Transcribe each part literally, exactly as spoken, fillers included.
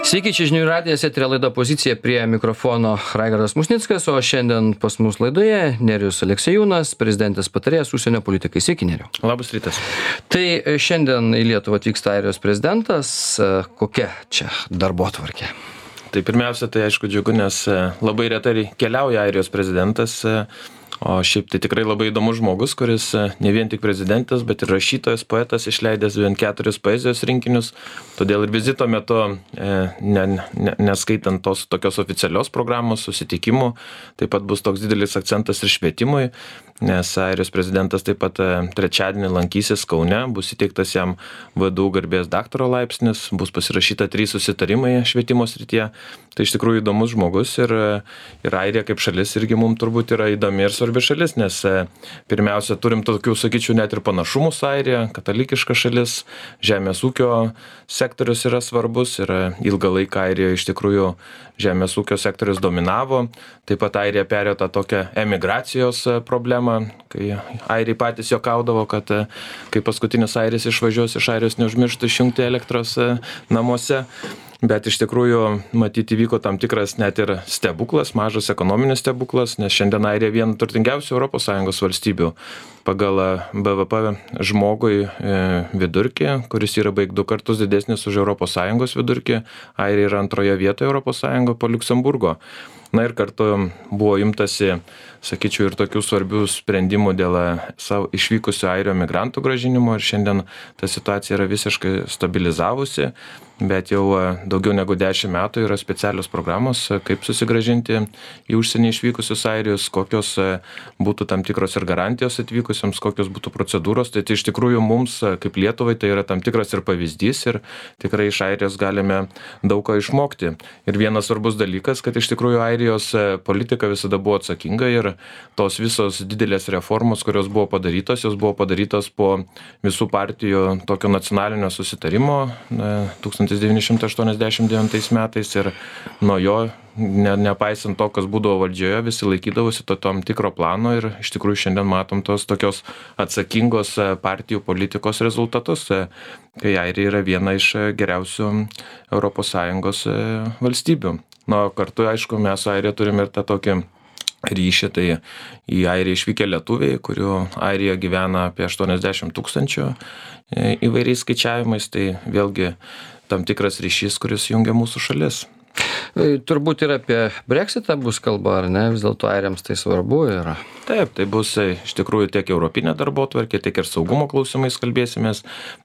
Sveiki, čia žinių radijas, eterio laida Pozicija, prie mikrofono Raigardas Musnickas, o šiandien pas mus laidoje Nerijus Aleksiejūnas, prezidentės patarėjas užsienio politikai. Sveiki, Nerijau. Labas rytas. Tai šiandien į Lietuvą atvyksta Airijos prezidentas. Kokia čia darbotvarkė? Tai pirmiausia, tai aišku džiugu, nes labai retai keliauja Airijos prezidentas. O šiaip tai tikrai labai įdomus žmogus, kuris ne vien tik prezidentas, bet ir rašytojas, poetas, išleidęs bent keturis poezijos rinkinius. Todėl ir vizito metu, ne, ne, neskaitant tos tokios oficialios programos, susitikimų, taip pat bus toks didelis akcentas ir švietimui, nes Airijos prezidentas taip pat trečiadienį lankysis Kaune, bus įteiktas jam V D U garbės daktaro laipsnis, bus pasirašyta trys susitarimai švietimo srityje. Tai iš tikrųjų įdomus žmogus ir, ir Airija kaip šalis irgi mums turbūt yra įdomi ir svarbi šalis, nes pirmiausia turim tokių, sakyčiau, net ir panašumų su Airija, katalikiška šalis, žemės ūkio sektorius yra svarbus ir ilgą laiką Airijoje iš tikrųjų žemės ūkio sektorius dominavo. Taip pat Airija perėjo tą tokią emigracijos problemą, kai Airiai patys juokaudavo, kad kai paskutinis Airis išvažiuos iš Airijos, neužmirštų išjungti elektros namuose. Bet iš tikrųjų, matyti, įvyko tam tikras net ir stebuklas, mažas ekonominis stebuklas, nes šiandien Airija viena turtingiausių Europos Sąjungos valstybių pagal B V P žmogui vidurkį, kuris yra beveik du kartus didesnis už Europos Sąjungos vidurkį. Airija yra antroje vietoje Europos Sąjungoje po Liuksemburgo. Na ir kartu buvo imtasi, sakyčiau, ir tokių svarbių sprendimų dėl savo išvykusių airio migrantų grąžinimo ir šiandien ta situacija yra visiškai stabilizavusi, bet jau daugiau negu dešimt metų yra specialios programos, kaip susigrąžinti į užsienį išvykusius airijus, kokios būtų tam tikros ir garantijos atvykusiems, kokios būtų procedūros. Tai, tai iš tikrųjų mums, kaip Lietuvai, tai yra tam tikras ir pavyzdys ir tikrai iš Airijos galime daug ko išmokti. Ir vienas svarbus dalykas, kad iš tikrųjų Airijos politika visada buvo atsakinga ir tos visos didelės reformos, kurios buvo padarytos, jos buvo padarytos po visų partijų tokio nacionalinio susitarimo tūkstantis devyni šimtai aštuoniasdešimt devintais metais ir nuo jo, ne, nepaisant to, kas būdavo valdžioje, visi laikydavosi to tam tikro plano ir iš tikrųjų šiandien matom tos tokios atsakingos partijų politikos rezultatus, kai Airija yra viena iš geriausių Europos Sąjungos valstybių. Na, kartu, aišku, mes su Airija turime ir tą tokį ryšį, tai į Airiją išvykę lietuviai, kurių Airija gyvena apie aštuoniasdešimt tūkstančių įvairiais skaičiavimais, tai vėlgi tam tikras ryšys, kuris jungia mūsų šalis. Turbūt ir apie Brexitą bus kalba, ar ne? Vis dėlto airiams tai svarbu yra. Taip, tai bus iš tikrųjų tiek europinė darbotvarkė, tiek ir saugumo klausimais kalbėsimės,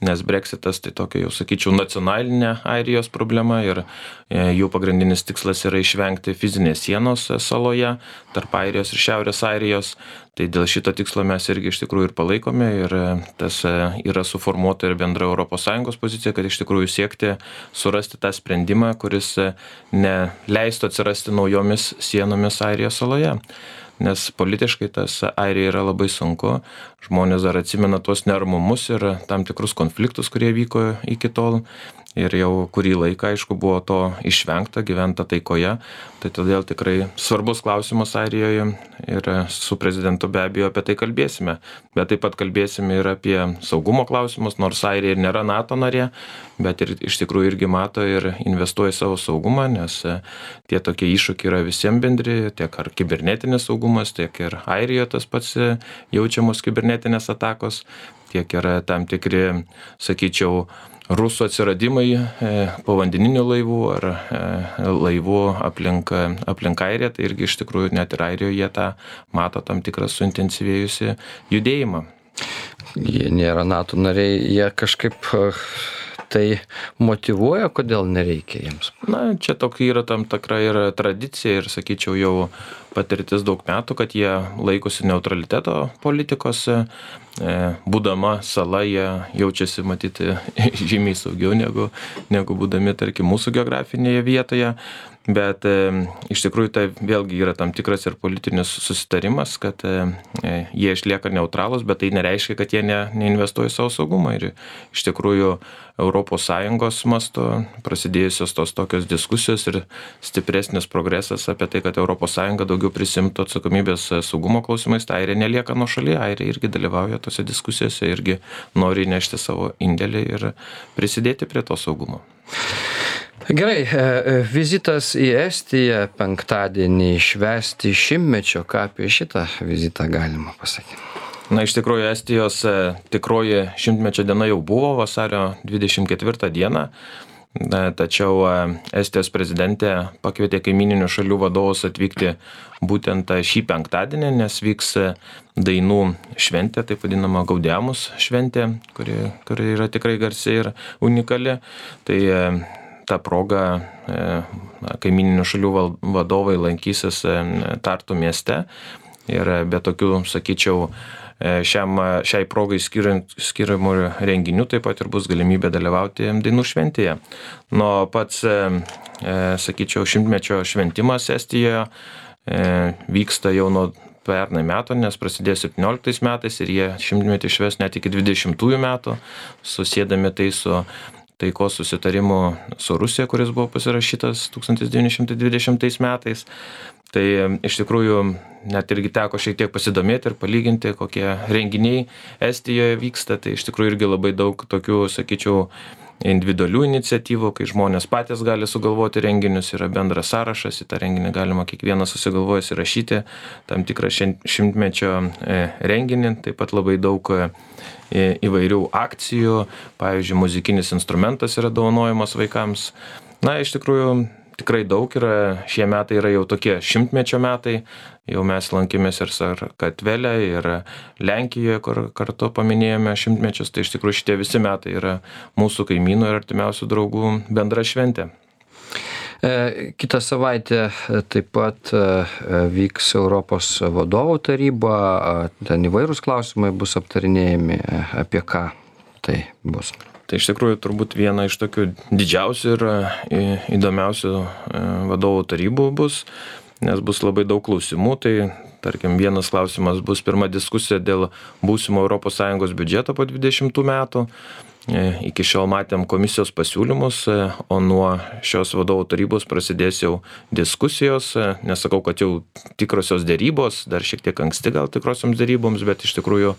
nes Brexitas tai tokia, jau sakyčiau, nacionalinė Airijos problema ir jų pagrindinis tikslas yra išvengti fizinės sienos saloje tarp Airijos ir Šiaurės Airijos. Tai dėl šito tikslo mes irgi iš tikrųjų ir palaikome ir tas yra suformuota ir bendra Europos Sąjungos pozicija, kad iš tikrųjų siekti surasti tą sprendimą, kuris neleistų atsirasti naujomis sienomis Airijos saloje. Nes politiškai tas Airija yra labai sunku, žmonės dar atsimena tuos neramumus ir tam tikrus konfliktus, kurie vyko iki tol. Ir jau kurį laiką, aišku, buvo to išvengta, gyventa taikoje. Tai todėl tikrai svarbus klausimas Airijoje ir su prezidentu be abejo apie tai kalbėsime. Bet taip pat kalbėsime ir apie saugumo klausimus, nors Airija ir nėra NATO narė, bet ir iš tikrųjų irgi mato ir investuoja savo saugumą, nes tie tokie iššūkiai yra visiems bendri, tiek ar kibernetinis saugumas, tiek ir Airijoje tas pats jaučiamos kibernetinės atakos, tiek yra tam tikri, sakyčiau, rusų atsiradimai povandeninių laivų ar laivų aplink, aplink Airiją, tai irgi iš tikrųjų net ir Airijoje jie tą mato tam tikrą suintensyvėjusi judėjimą. Jie nėra NATO nariai, jie kažkaip tai motyvuoja, kodėl nereikia jiems? Na, čia tokia yra tam tikra ir tradicija ir, sakyčiau, jau patirtis daug metų, kad jie laikosi neutraliteto politikos. Būdama sala, jie jaučiasi matyti žymiai saugiau negu, negu būdami, tarkim, mūsų geografinėje vietoje. Bet e, iš tikrųjų tai vėlgi yra tam tikras ir politinis susitarimas, kad e, jie išlieka neutralūs, bet tai nereiškia, kad jie ne, neinvestuoja į savo saugumą. Ir iš tikrųjų Europos Sąjungos mastu prasidėjusios tos tokios diskusijos ir stipresnis progresas apie tai, kad Europos Sąjunga daugiau prisimtų atsakomybės saugumo klausimais, tai Airija nelieka nuošaly, Airija irgi dalyvauja tose diskusijose, irgi nori nešti savo indėlį ir prisidėti prie to saugumo. Gerai, vizitas į Estiją penktadienį švęsti šimtmečio, ką apie šitą vizitą galima pasakyti? Na, iš tikrųjų, Estijos tikroji šimtmečio diena jau buvo vasario dvidešimt ketvirtą dieną. Tačiau Estijos prezidentė pakvietė kaimininių šalių vadovus atvykti būtent šį penktadienį, nes vyks dainų šventė, taip vadinama Gaudeamus šventė, kuri, kuri yra tikrai garsi ir unikali. Tai ta proga kaimininių šalių vadovai lankysis Tartu mieste ir be tokių, sakyčiau, Šiam, šiai progai skiriamų renginių taip pat ir bus galimybė dalyvauti dainų šventėje. Nuo pats, sakyčiau, šimtmečio šventimas Estijoje vyksta jau nuo pernai metų, nes prasidėjo septynioliktais metais ir jie šimtmetį švęs net iki dvidešimtųjų metų, susėdami tai su taikos susitarimu su Rusija, kuris buvo pasirašytas tūkstantis devyni šimtai dvidešimtais metais. Tai iš tikrųjų net irgi teko šiek tiek pasidomėti ir palyginti, kokie renginiai Estijoje vyksta. Tai iš tikrųjų irgi labai daug tokių, sakyčiau, individualių iniciatyvų, kai žmonės patys gali sugalvoti renginius, yra bendras sąrašas, į tą renginį galima kiekvienas susigalvojęs įrašyti tam tikrą šimtmečio renginį, taip pat labai daug įvairių akcijų, pavyzdžiui, muzikinis instrumentas yra dovanojamas vaikams. Na, iš tikrųjų, tikrai daug yra, šie metai yra jau tokie šimtmečio metai, jau mes lankėmės ir Sakartvele, ir Lenkijoje, kur kartu paminėjome šimtmečius, tai iš tikrųjų šitie visi metai yra mūsų kaimynų ir artimiausių draugų bendra šventė. Kitą savaitę taip pat vyks Europos vadovų taryba, ten įvairūs klausimai bus aptarinėjami, apie ką tai bus. Tai iš tikrųjų turbūt viena iš tokių didžiausių ir įdomiausių vadovų tarybų bus, nes bus labai daug klausimų. Tai tarkim, vienas klausimas bus pirma diskusija dėl būsimo Europos Sąjungos biudžeto po dvidešimtų metų. Iki šiol matėm komisijos pasiūlymus, o nuo šios vadovų tarybos prasidės jau diskusijos. Nesakau, kad jau tikrosios dėrybos, dar šiek tiek anksti gal tikrosioms dėryboms, bet iš tikrųjų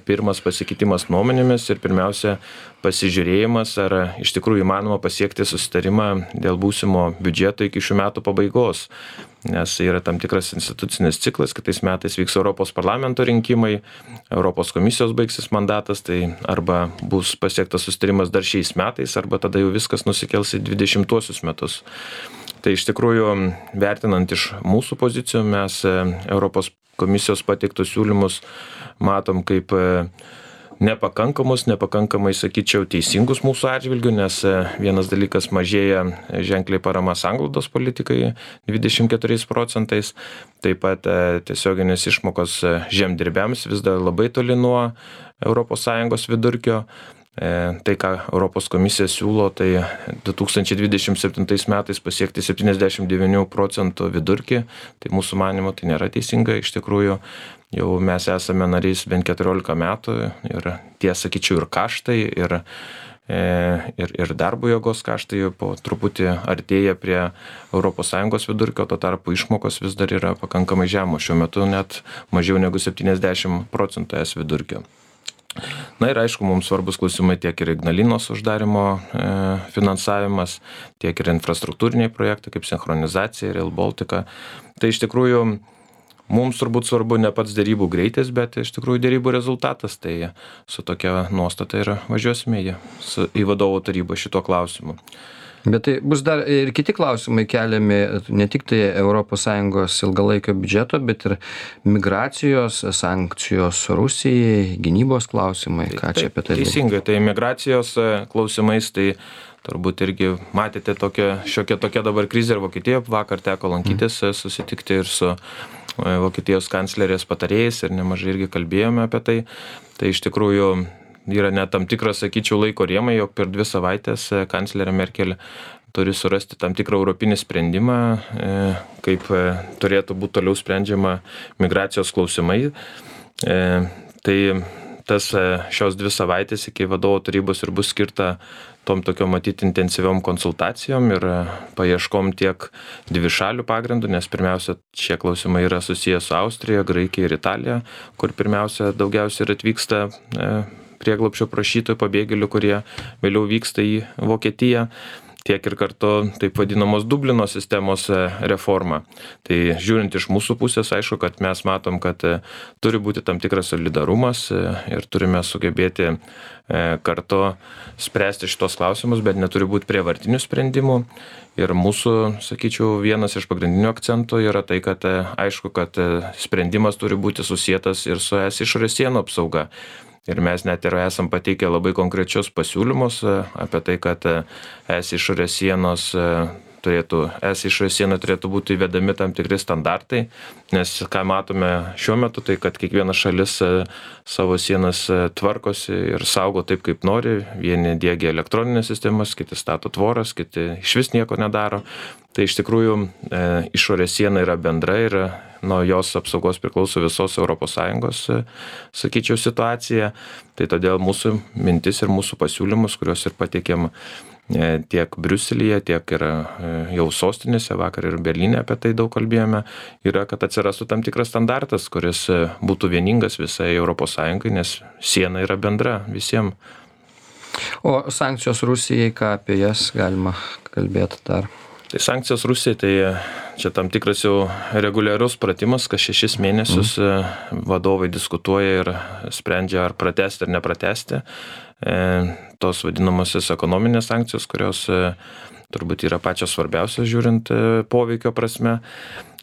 pirmas pasikeitimas nuomonėmis ir pirmiausia pasižiūrėjimas, ar iš tikrųjų įmanoma pasiekti susitarimą dėl būsimo biudžeto iki šių metų pabaigos. Nes yra tam tikras institucinis ciklas, kitais metais vyks Europos parlamento rinkimai, Europos komisijos baigsis mandatas, tai arba bus pasiektas susitarimas dar šiais metais, arba tada jau viskas nusikels į dvidešimtuosius metus. Tai iš tikrųjų, vertinant iš mūsų pozicijų, mes Europos komisijos pateiktus siūlymus matom kaip nepakankamus, nepakankamai, sakyčiau, teisingus mūsų atžvilgių, nes vienas dalykas mažėja ženkliai parama sanglaudos politikai dvidešimt keturiais procentais, taip pat tiesioginės išmokos žemdirbiams vis dar labai toli nuo Europos Sąjungos vidurkio. Tai, ką Europos komisija siūlo, tai du tūkstančiai dvidešimt septintais metais pasiekti septyniasdešimt devynių procentų vidurkį, tai mūsų manymu tai nėra teisinga, iš tikrųjų jau mes esame narys bent keturiolika metų ir tie, sakyčiau, ir kaštai, ir, ir, ir darbo jėgos kaštai po truputį artėja prie Europos Sąjungos vidurkio, tuo tarpu išmokos vis dar yra pakankamai žemos, šiuo metu net mažiau negu septyniasdešimt procentų es vidurkio. Na ir aišku, mums svarbus klausimai tiek ir Ignalinos uždarimo e, finansavimas, tiek ir infrastruktūriniai projektai kaip sinchronizacija ir Rail Baltica. Tai iš tikrųjų mums turbūt svarbu ne pats dėrybų greitis, bet iš tikrųjų dėrybų rezultatas. Tai su tokia nuostata ir važiuosime į, su, į vadovų tarybą šituo klausimu. Bet tai bus dar ir kiti klausimai keliami, ne tik tai Europos Sąjungos ilgalaikio biudžeto, bet ir migracijos, sankcijos Rusijai, gynybos klausimai. Ką čia apie tai? Teisingai, tai migracijos klausimais, tai turbūt irgi matėte tokia, šiokia tokia dabar krizė ir Vokietijoje. Vakar teko lankytis, susitikti ir su Vokietijos kanclerės patarėjais ir nemažai irgi kalbėjome apie tai. Tai iš tikrųjų yra net tam tikras, sakyčiau, laiko rėmai, jog per dvi savaitės kanclerė Merkel turi surasti tam tikrą europinį sprendimą, kaip turėtų būti toliau sprendžiama migracijos klausimai. Tai tas šios dvi savaitės iki vadovų tarybos ir bus skirta tom tokio matyti intensyviom konsultacijom ir paieškom tiek dvišalių pagrindų, nes pirmiausia šie klausimai yra susiję su Austrija, Graikija ir Italija, kur pirmiausia daugiausiai ir atvyksta prieglobsčio prašytojų, pabėgėlių, kurie vėliau vyksta į Vokietiją. tiek ir kartu taip vadinamos Dublino sistemos reforma. Tai žiūrint iš mūsų pusės, aišku, kad mes matom, kad turi būti tam tikras solidarumas ir turime sugebėti kartu spręsti šitos klausimus, bet neturi būti prievartinių sprendimų. Ir mūsų, sakyčiau, vienas iš pagrindinių akcentų yra tai, kad aišku, kad sprendimas turi būti susietas ir su es išorės sienų apsauga. Ir mes net ir esam pateikę labai konkrečius pasiūlymus apie tai, kad es išorės sienos turėtų, es išorės sienų turėtų būti įvedami tam tikri standartai, nes ką matome šiuo metu, tai kad kiekviena šalis savo sienas tvarkosi ir saugo taip, kaip nori. Vieni diegia elektroninės sistemas, kiti stato tvoras, kiti išvis nieko nedaro. Tai iš tikrųjų e, išorės siena yra bendra ir nuo jos apsaugos priklauso visos Europos Sąjungos, sakyčiau, situacija. Tai todėl mūsų mintis ir mūsų pasiūlymus, kuriuos ir pateikėm tiek Briuselyje, tiek ir jau sostinėse, vakar ir Berlyne apie tai daug kalbėjome, yra, kad atsirastų tam tikras standartas, kuris būtų vieningas visai Europos Sąjungai, nes siena yra bendra visiems. O sankcijos Rusijai, ką apie jas galima kalbėti dar? Tai sankcijos Rusijai, tai čia tam tikras jau reguliarus pratimas, kas šešis mėnesius mm. vadovai diskutuoja ir sprendžia, ar pratesti ar nepratesti. E, tos vadinamosios ekonominės sankcijos, kurios e, turbūt yra pačios svarbiausios žiūrint e, poveikio prasme.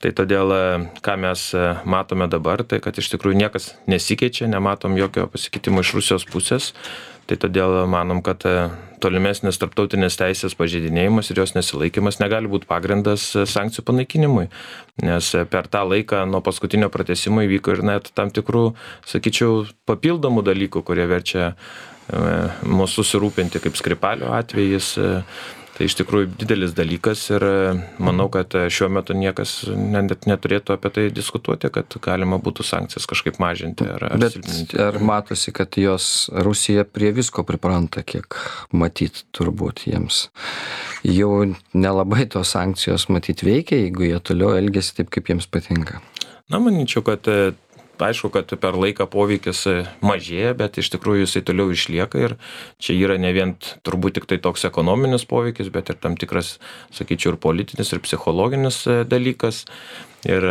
Tai todėl, e, ką mes e, matome dabar, tai kad iš tikrųjų niekas nesikeičia, nematom jokio pasikeitimo iš Rusijos pusės. Tai todėl manom, kad tolimesnis tarptautinės teisės pažeidinėjimas ir jos nesilaikymas negali būti pagrindas sankcijų panaikinimui. Nes per tą laiką nuo paskutinio pratęsimo įvyko ir net tam tikrų, sakyčiau, papildomų dalykų, kurie verčia mūsų susirūpinti, kaip Skripalio atvejis. Tai iš tikrųjų didelis dalykas ir manau, kad šiuo metu niekas net neturėtų apie tai diskutuoti, kad galima būtų sankcijas kažkaip mažinti ar, ar Bet silpninti. ar matosi, kad jos Rusija prie visko pripranta, kiek matyt turbūt jiems jau nelabai tos sankcijos matyt veikia, jeigu jie toliau elgiasi taip, kaip jiems patinka? Na, manyčiau, kad aišku, kad per laiką poveikis mažėja, bet iš tikrųjų jisai toliau išlieka ir čia yra ne vien turbūt tik tai toks ekonominis poveikis, bet ir tam tikras, sakyčiau, ir politinis, ir psichologinis dalykas. Ir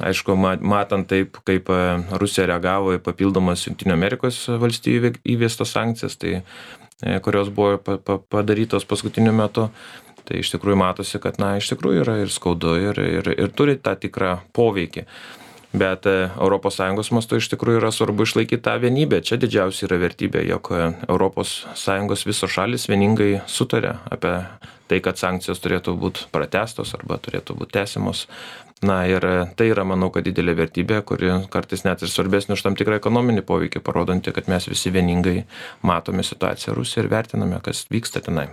aišku, matant taip, kaip Rusija reagavo į papildomas Jungtinių Amerikos valstijų įvestas sankcijas, tai, kurios buvo padarytos paskutiniu metu, tai iš tikrųjų matosi, kad na, iš tikrųjų yra ir skaudu ir, ir, ir turi tą tikrą poveikį. Bet Europos Sąjungos mastu iš tikrųjų yra svarbu išlaikyti tą vienybę. Čia didžiausia yra vertybė, jog Europos Sąjungos visos šalis vieningai sutarė apie tai, kad sankcijos turėtų būti pratęstos arba turėtų būti tęsiamos. Na ir tai yra, manau, kad didelė vertybė, kuri kartais net ir svarbesnė už tam tikrą ekonominį poveikį, parodanti, kad mes visi vieningai matome situaciją Rusijoje ir vertiname, kas vyksta tenai.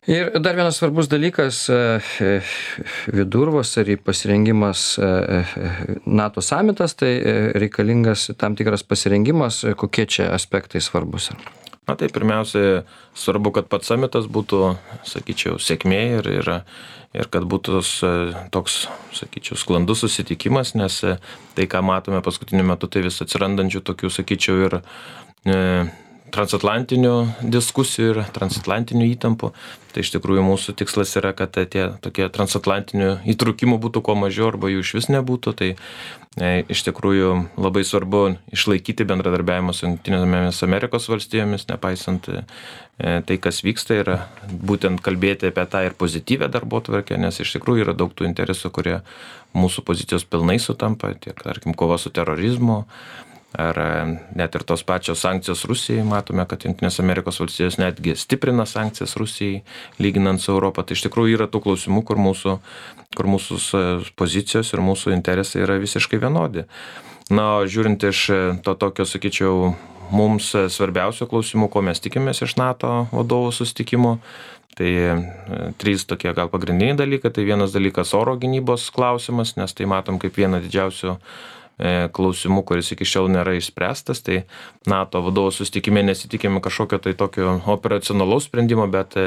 Ir dar vienas svarbus dalykas vidurvasarį pasirengimas NATO samitas, tai reikalingas tam tikras pasirengimas, kokie čia aspektai svarbus? Na tai pirmiausia, svarbu, kad pats samitas būtų, sakyčiau, sėkmė ir, ir, ir kad būtų toks, sakyčiau, sklandus susitikimas, nes tai, ką matome paskutiniu metu, tai vis atsirandančių tokių, sakyčiau, ir e, transatlantinių diskusijų ir transatlantinių įtampų. Tai iš tikrųjų mūsų tikslas yra, kad tie tokie transatlantinių įtrūkimų būtų kuo mažiau arba jų iš vis nebūtų. Tai e, iš tikrųjų labai svarbu išlaikyti bendradarbiavimą su Jungtinėmis Amerikos valstijomis, nepaisant e, tai, kas vyksta, ir būtent kalbėti apie tą ir pozityvę darbotvarkę, nes iš tikrųjų yra daug tų interesų, kurie mūsų pozicijos pilnai sutampa, tiek, tarkim, kova su terorizmu, ar net ir tos pačios sankcijos Rusijai. Matome, kad Jungtinės Amerikos valstijos netgi stiprina sankcijas Rusijai, lyginant su Europą. Tai iš tikrųjų yra tų klausimų, kur mūsų, kur mūsų pozicijos ir mūsų interesai yra visiškai vienodi. Na, žiūrint iš to tokio, sakyčiau, mums svarbiausių klausimų, ko mes tikimės iš NATO vadovų susitikimo, tai trys tokie gal pagrindiniai dalykai. Tai vienas dalykas oro gynybos klausimas, nes tai matom kaip vieną didžiausių klausimų, kuris iki šiol nėra išspręstas. Tai NATO vadovų susitikime nesitikime kažkokio tai tokio operacionalaus sprendimo, bet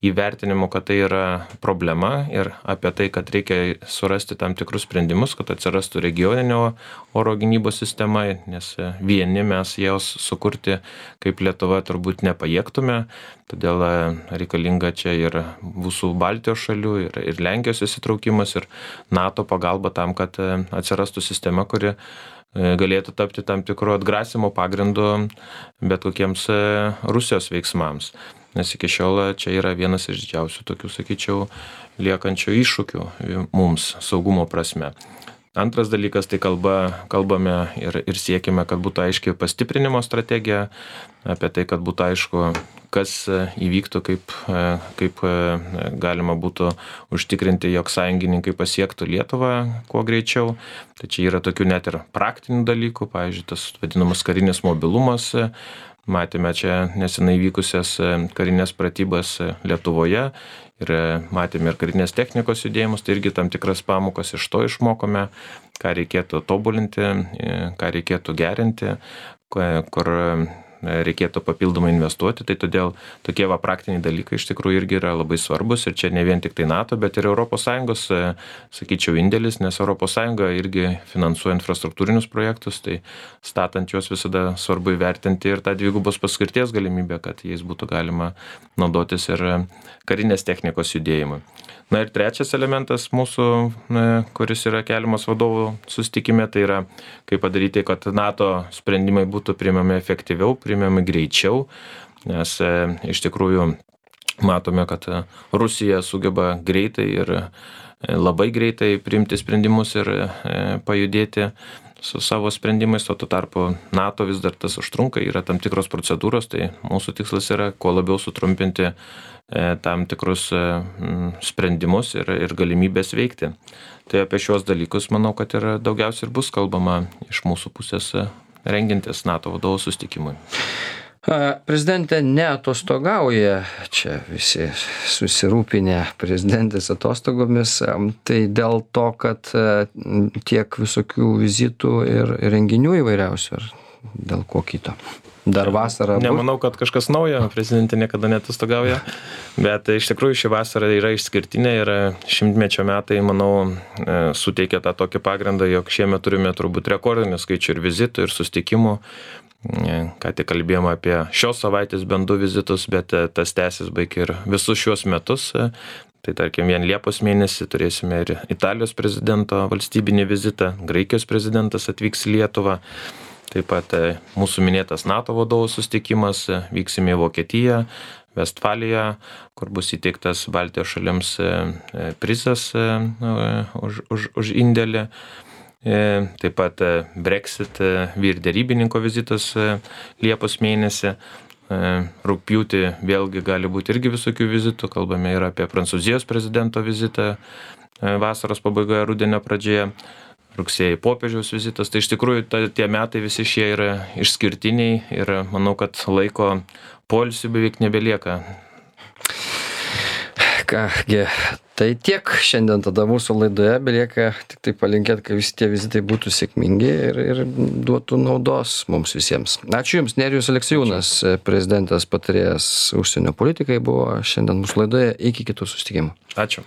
įvertinimo, kad tai yra problema ir apie tai, kad reikia surasti tam tikrus sprendimus, kad atsirastų regioninio oro gynybos sistema, nes vieni mes jos sukurti kaip Lietuva turbūt nepajėgtume. todėl reikalinga čia ir visų Baltijos šalių, ir, ir Lenkijos įsitraukimas, ir NATO pagalba tam, kad atsirastų sistema, kuri galėtų tapti tam tikru atgrasimo pagrindu bet kokiems Rusijos veiksmams. Nes iki šiol čia yra vienas iš didžiausių tokių, sakyčiau, liekančių iššūkių mums saugumo prasme. Antras dalykas, tai kalba, kalbame ir, ir siekime, kad būtų aiškiai pastiprinimo strategija, apie tai, kad būtų aišku, kas įvyktų, kaip, kaip galima būtų užtikrinti, jog sąjungininkai pasiektų Lietuvą kuo greičiau. Tai čia yra tokių net ir praktinių dalykų, pavyzdžiui, tas vadinamas karinis mobilumas. Matėme čia nesenai vykusias karinės pratybas Lietuvoje ir matėme ir karinės technikos judėjimus, tai irgi tam tikras pamokas iš to išmokome, ką reikėtų tobulinti, ką reikėtų gerinti, kur reikėtų papildomai investuoti, tai todėl tokie va praktiniai dalykai iš tikrųjų irgi yra labai svarbus ir čia ne vien tik tai NATO, bet ir Europos Sąjungos, sakyčiau, indėlis, nes Europos Sąjunga irgi finansuoja infrastruktūrinius projektus, tai statant juos visada svarbu įvertinti ir tą dvigubos paskirties galimybę, kad jais būtų galima naudotis ir karinės technikos judėjimui. Na ir trečias elementas mūsų, kuris yra keliamas vadovų susitikime, tai yra kaip padaryti, kad NATO sprendimai būtų priimami efektyviau, priimami greičiau, nes iš tikrųjų matome, kad Rusija sugeba greitai ir labai greitai priimti sprendimus ir pajudėti su savo sprendimais, o tuo tarpu NATO vis dar tas užtrunka, yra tam tikros procedūros, tai mūsų tikslas yra kuo labiau sutrumpinti tam tikrus sprendimus ir, ir galimybės veikti. Tai apie šios dalykus manau, kad ir daugiausiai ir bus kalbama iš mūsų pusės rengintis NATO vadovų susitikimui. Prezidentė neatostogauja, čia visi susirūpinę prezidentės atostogomis, tai dėl to, kad tiek visokių vizitų ir renginių įvairiausių, ar dėl ko kito? Dar vasarą. Nemanau, kad kažkas naujo, prezidentė niekada neatostogauja, bet iš tikrųjų ši vasara yra išskirtinė ir šimtmečio metai, manau, suteikia tą tokį pagrindą, jog šiemet turime turbūt rekordinį skaičių ir vizitų, ir susitikimų. Ką tik kalbėjome apie šios savaitės bent du vizitus, bet tas tęsis baig ir visus šios metus. Tai tarkim, vien Liepos mėnesį turėsime ir Italijos prezidento valstybinį vizitą, Graikijos prezidentas atvyks į Lietuvą. Taip pat mūsų minėtas NATO vadovų susitikimas, vyksime į Vokietiją, Vestfaliją, kur bus įteiktas Baltijos šalims prizas už, už, už indėlį. Taip pat Brexit vyr derybininko vizitas Liepos mėnesį. Rugpjūtį vėlgi gali būti irgi visokių vizitų, kalbame ir apie Prancūzijos prezidento vizitą vasaros pabaigoje, rudenio pradžioje. Rugsėjai popiežiaus vizitas, tai iš tikrųjų ta, tie metai visi šie yra išskirtiniai ir manau, kad laiko poilsiui beveik nebelieka. Kągi, tai tiek šiandien tada mūsų laidoje, belieka tik tai palinkėti, kad visi tie vizitai būtų sėkmingi ir, ir duotų naudos mums visiems. Ačiū Jums, Nerijus Aleksiejūnas, prezidentės patarėjas užsienio politikai, buvo šiandien mūsų laidoje, iki kitų susitikimų. Ačiū.